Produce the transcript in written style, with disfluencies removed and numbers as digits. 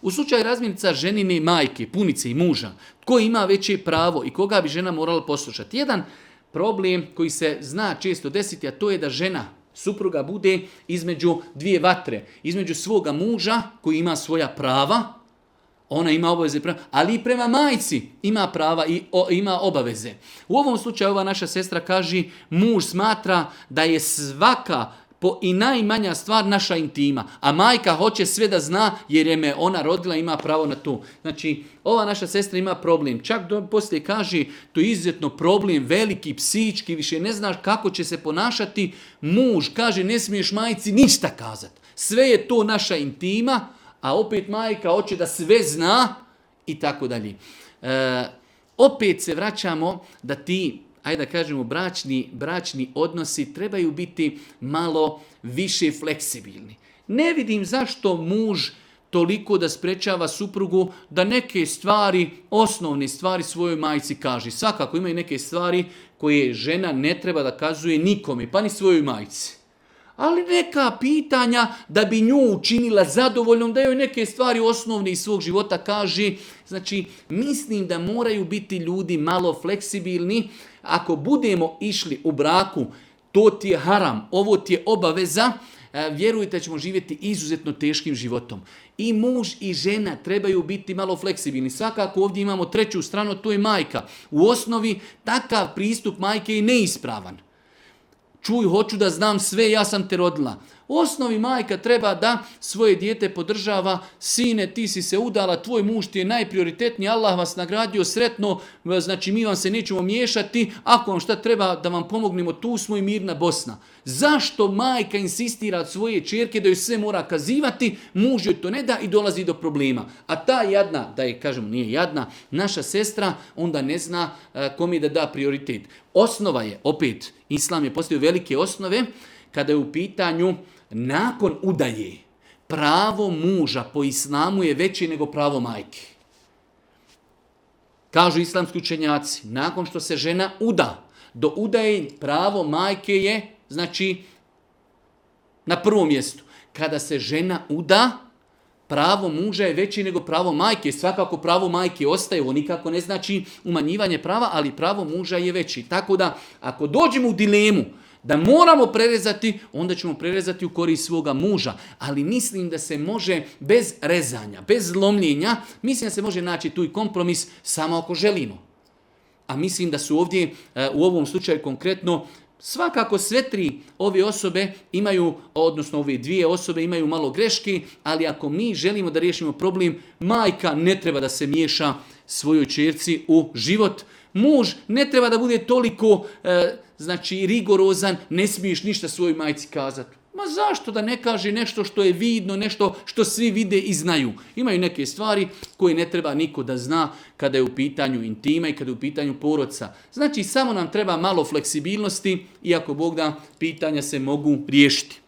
U slučaju razmirica ženine majke, punice i muža, tko ima veće pravo i koga bi žena morala poslušati? Jedan problem koji se zna često desiti, a to je da žena, supruga bude između dvije vatre, između svoga muža koji ima svoja prava, ona ima obaveze, ali i prema majci ima prava i ima obaveze. U ovom slučaju ova naša sestra kaže, muž smatra da je svaka i najmanja stvar naša intima, a majka hoće sve da zna jer je me ona rodila, ima pravo na to. Znači, ova naša sestra ima problem. Čak poslije kaže, to je izuzetno problem, veliki, psihički, više ne znaš kako će se ponašati. Muž kaže, ne smiješ majci ništa kazati. Sve je to naša intima, a opet majka hoće da sve zna i tako dalje. Opet se vraćamo da ti, ajde da kažemo, bračni odnosi trebaju biti malo više fleksibilni. Ne vidim zašto muž toliko da sprečava suprugu da neke stvari, osnovne stvari svojoj majci kaže. Svakako imaju neke stvari koje žena ne treba da kazuje nikome, pa ni svojoj majci. Ali neka pitanja da bi nju učinila zadovoljnom, da joj neke stvari osnovne iz svog života kaže. Znači, mislim da moraju biti ljudi malo fleksibilni. Ako budemo išli u braku, to ti je haram, ovo ti je obaveza, vjerujte da ćemo živjeti izuzetno teškim životom. I muž i žena trebaju biti malo fleksibilni. Svakako ovdje imamo treću stranu, to je majka. U osnovi takav pristup majke je neispravan. Čuj, hoću da znam sve, ja sam te rodila. U osnovi majka treba da svoje dijete podržava, sine, ti si se udala, tvoj muž ti je najprioritetniji, Allah vas nagradio sretno, znači mi vam se nećemo miješati, ako vam šta treba da vam pomognemo, tu smo i mirna Bosna. Zašto majka insistira od svoje ćerke da joj sve mora kazivati, muž joj to ne da i dolazi do problema. A ta jadna, da je kažemo nije jadna, naša sestra, onda ne zna kom je da prioritet. Osnova je, opet, Islam je postavio velike osnove, kada je u pitanju nakon udaje, pravo muža po islamu je veće nego pravo majke. Kažu islamski učenjaci, nakon što se žena uda, do udaje pravo majke je, znači, na prvom mjestu. Kada se žena uda, pravo muža je veće nego pravo majke. Svakako pravo majke ostaje, ovo nikako ne znači umanjivanje prava, ali pravo muža je veći. Tako da, ako dođemo u dilemu da moramo prerezati, onda ćemo prerezati u korist svoga muža. Ali mislim da se može bez rezanja, bez lomljenja, mislim da se može naći tu i kompromis samo ako želimo. A mislim da su ovdje, u ovom slučaju konkretno, svakako sve tri ove osobe imaju, odnosno ove dvije osobe imaju malo greške, ali ako mi želimo da riješimo problem, majka ne treba da se miješa svojoj ćerci u život. Muž ne treba da bude toliko rigorozan, ne smiješ ništa svojoj majci kazati. Ma zašto da ne kaže nešto što je vidno, nešto što svi vide i znaju? Imaju neke stvari koje ne treba niko da zna kada je u pitanju intima i kada je u pitanju porodca. Znači samo nam treba malo fleksibilnosti i ako Bog da, pitanja se mogu riješiti.